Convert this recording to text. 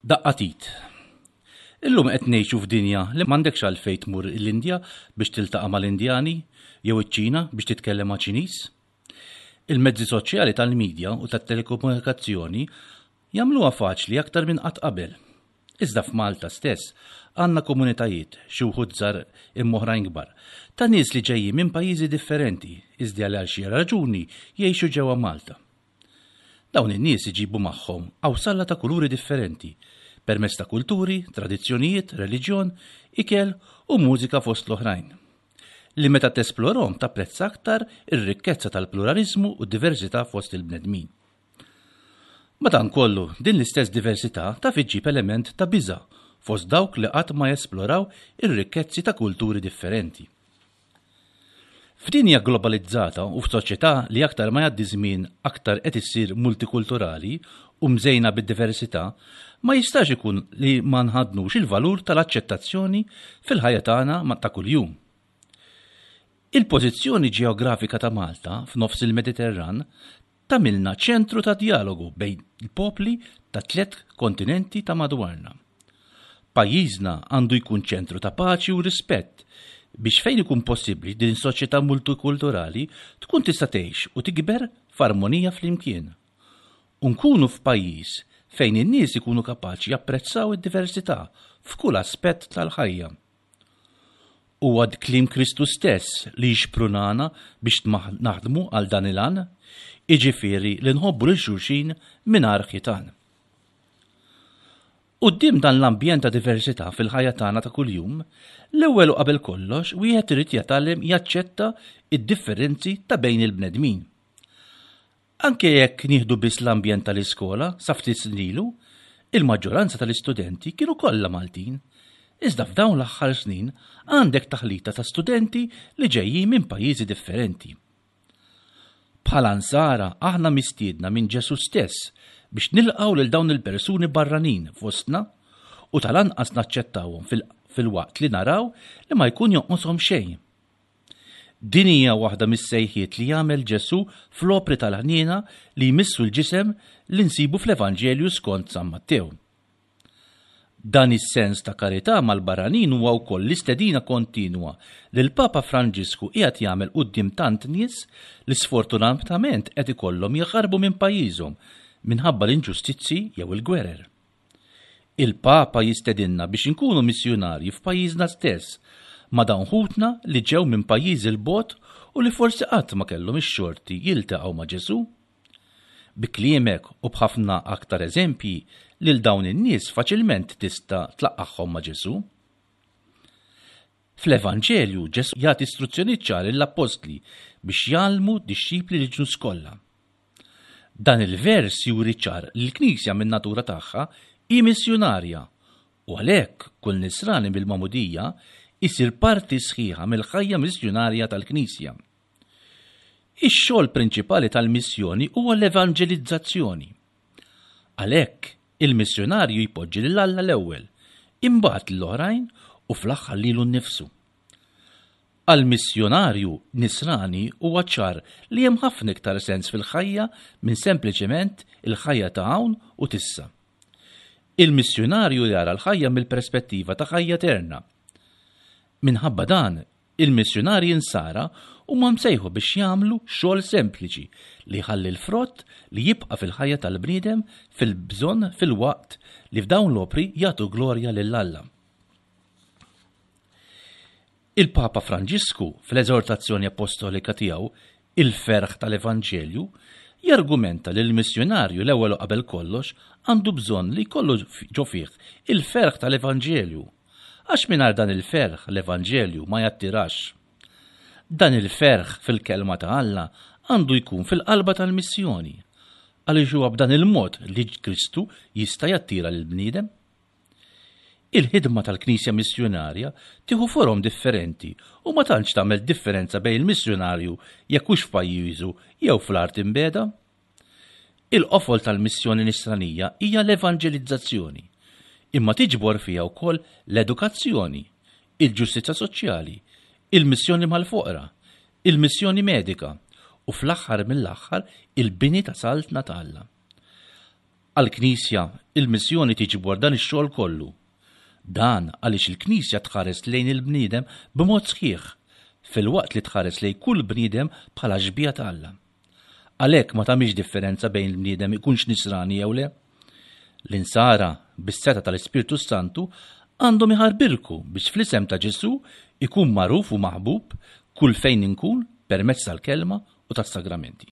Daqqa t'id. Illum qed ngħixu f'dinja li m'għandekx għalfejn tmur l-Indja biex tiltaqa' mal-Indjani jew iċ-Ċina biex titkellem ma' Ċiniż. Il-mezzi soċjali tal-midja u tat-telekomunikazzjoni jagħmluha faċli aktar minn qatt qabel. Iżda f'Malta stess għandna komunitajiet, xi wħud żgħar imma oħrajn kbar, ta' nies li ġejjin minn pajjiżi differenti iżda li għal xi raġuni jgħixu ġewwa Malta. Dawn in-nies iġibu magħhom qawsalla ta' kuluri differenti, permezz ta' kulturi, tradizzjonijiet, reliġjon, ikel u mużika fost l-oħrajn. Li meta tesplorhom tapprezza aktar ir-rikkezza tal-pluraliżmu u d-diversità fost il-bnedmin. Madankollu, din l-istess diversità taf iġġib element ta' biża' fost dawk li qatt ma jesploraw ir-rikkezzi ta' kulturi differenti. F'dinja globalizzata u f'soċjetà li aktar ma jgħaddi żmien aktar qed issir multikulturali u mżejna bid-diversità, ma jistax ikun li ma nħaddnux il-valur tal-aċċettazzjoni fil-ħajja tagħna ta' kuljum. Il-pożizzjoni ġeografika ta' Malta f'nofs il-Mediterran tagħmilna ċentru ta' djalogu bejn il-popli tat-tlett kontinenti ta' madwarna. Pajjiżna għandu jkun ċentru ta' paċi u rispett biex fejn ikun possibbli din is-soċjetà multikulturali tkun tista' tgħix u tikber f'armonija flimkien. U nkunu f'pajjiż fejn in-nies ikunu kapaċi japprezzaw id-diversità f'kull aspett tal-ħajja. Huwa kliem Kristu stess li jixprunana biex naħdmu għal dan il-għan, jiġifieri li nħobbu lil xulxin mingħajr ħitan. Quddiem dan l-ambjent ta' diversità fil-ħajja tagħna ta' kuljum, l-ewwel u qabel kollox wieħed irid jitgħallem jaċċetta d-differenzi ta' bejn il-bnedmin. Anke jekk nieħdu biss l-ambjent tal-iskola sa ftit snin ilu, il-maġġoranza tal-istudenti kienu kollha Maltin. Iżda f'dawn l-aħħar snin għandek taħlita ta' studenti li ġejjin minn pajjiżi differenti. Bħala Nsara aħna mistiedna minn Ġesù stess biex nilqgħu lil dawn il-persuni barranin fostna u tal-anqas naċċettawhom filwaqt li naraw li ma jkun jonqoshom xejn. Din hija waħda mis-sejħiet li jagħmel Ġesù fl-opri tal-ħniena li jmissu l-ġisem li nsibu fl-Evanġelju skont San Mattew. Dan is-sens ta' karità mal-barranin huwa wkoll l-istedina kontinwa li l-Papa Franġisku qiegħed jagħmel quddiem tant nies li sfortunatament qed ikollhom jaħarbu minn pajjiżhom minħabba l-inġustizzji jew il-gwerer. Il-Papa jistedinna biex inkunu missjunarji f'pajjiżna stess, ma' dawn ħutna li ġew minn pajjiżi 'l bogħod u li forsi qatt ma kellhom ix-xorti jiltaqgħu ma' Ġesù. Bi kliemek u b'ħafna aktar eżempji, lil dawn in-nies faċilment tista' tlaqqagħhom ma' Ġesù. Fl-Evanġelju, Ġesù jagħti istruzzjonijiet ċari lill-appostli biex jgħallmu dixxipli lill-ġnus kollha. Dan il-vers juri ċar li l-Knisja min-natura tagħha hi missjunarja u għalhekk kull Nisrani bil-magħmudija jsir parti sħiħa mill-ħajja missjunarja tal-Knisja. Ix-xogħol prinċipali tal-missjoni huwa l-evanġelizzazzjoni. Għalhekk, il-missjunarju jpoġġi lil Alla l-ewwel, imbagħad lill-oħrajn u fl-aħħar lilu nnifsu. Għall-missjunarju Nisrani huwa ċar li hemm ħafna iktar sens fil-ħajja minn sempliċement il-ħajja ta' hawn u t'issa. Il-missjunarju jara l-ħajja mill-perspettiva ta' ħajja eterna. Minħabba dan, il-missjunarji Nsara huma msejħu biex jagħmlu xogħol sempliċi li jħalli l-frott li jibqa' fil-ħajja tal-bniedem fil-bżonn filwaqt li f'dawn l-opri jagħtu glorja lil Alla. Il-Papa Franġisku, fl-eżortazzjoni appostolika tiegħu Il-Ferħ tal-Evanġelju, jargumenta li l-missjunarju l-ewwel u qabel kollox għandu bżonn li jkollu ġo fih il-ferħ tal-Evanġelju, għax mingħajr dan il-ferħ l-Evanġelju ma jattirax. Dan il-ferħ fil-Kelma ta' Alla għandu jkun fil-qalba tal-missjoni, għaliex huwa b'dan il-mod li Kristu jista' jattira lill-bniedem. Il-ħidma tal-Knisja missjunarja tieħu forom differenti u ma tantx tagħmel differenza bejn il-missjunarju jekk hux f'pajjiżu jew fl-art imbiegħda. Il-qofol tal-missjoni nisranija hija l-evanġelizzazzjoni, imma tiġbor fiha wkoll l-edukazzjoni, il-ġustizzja soċjali, il-missjoni mal-foqra, il-missjoni medika u fl-aħħar mill-aħħar il-bini ta' Saltna ta' Alla. Għall-Knisja, il-missjoni tiġbor dan ix-xogħol kollu. Dan għaliex il-Knisja tħares lejn il-bniedem b'mod sħiħ, filwaqt li tħares lejn kull bniedem bħala xbieha ta' Alla. Għalhekk ma tagħmilx differenza bejn il-bniedem ikunx nisrani jew le. L-insara, bis-setgħa tal-Ispirtu s-Santu, għandhom iħarbirku biex fl-isem ta' Ġesù ikun magħruf u maħbub kull fejn inkun permezz tal-kelma u tas-sagramenti.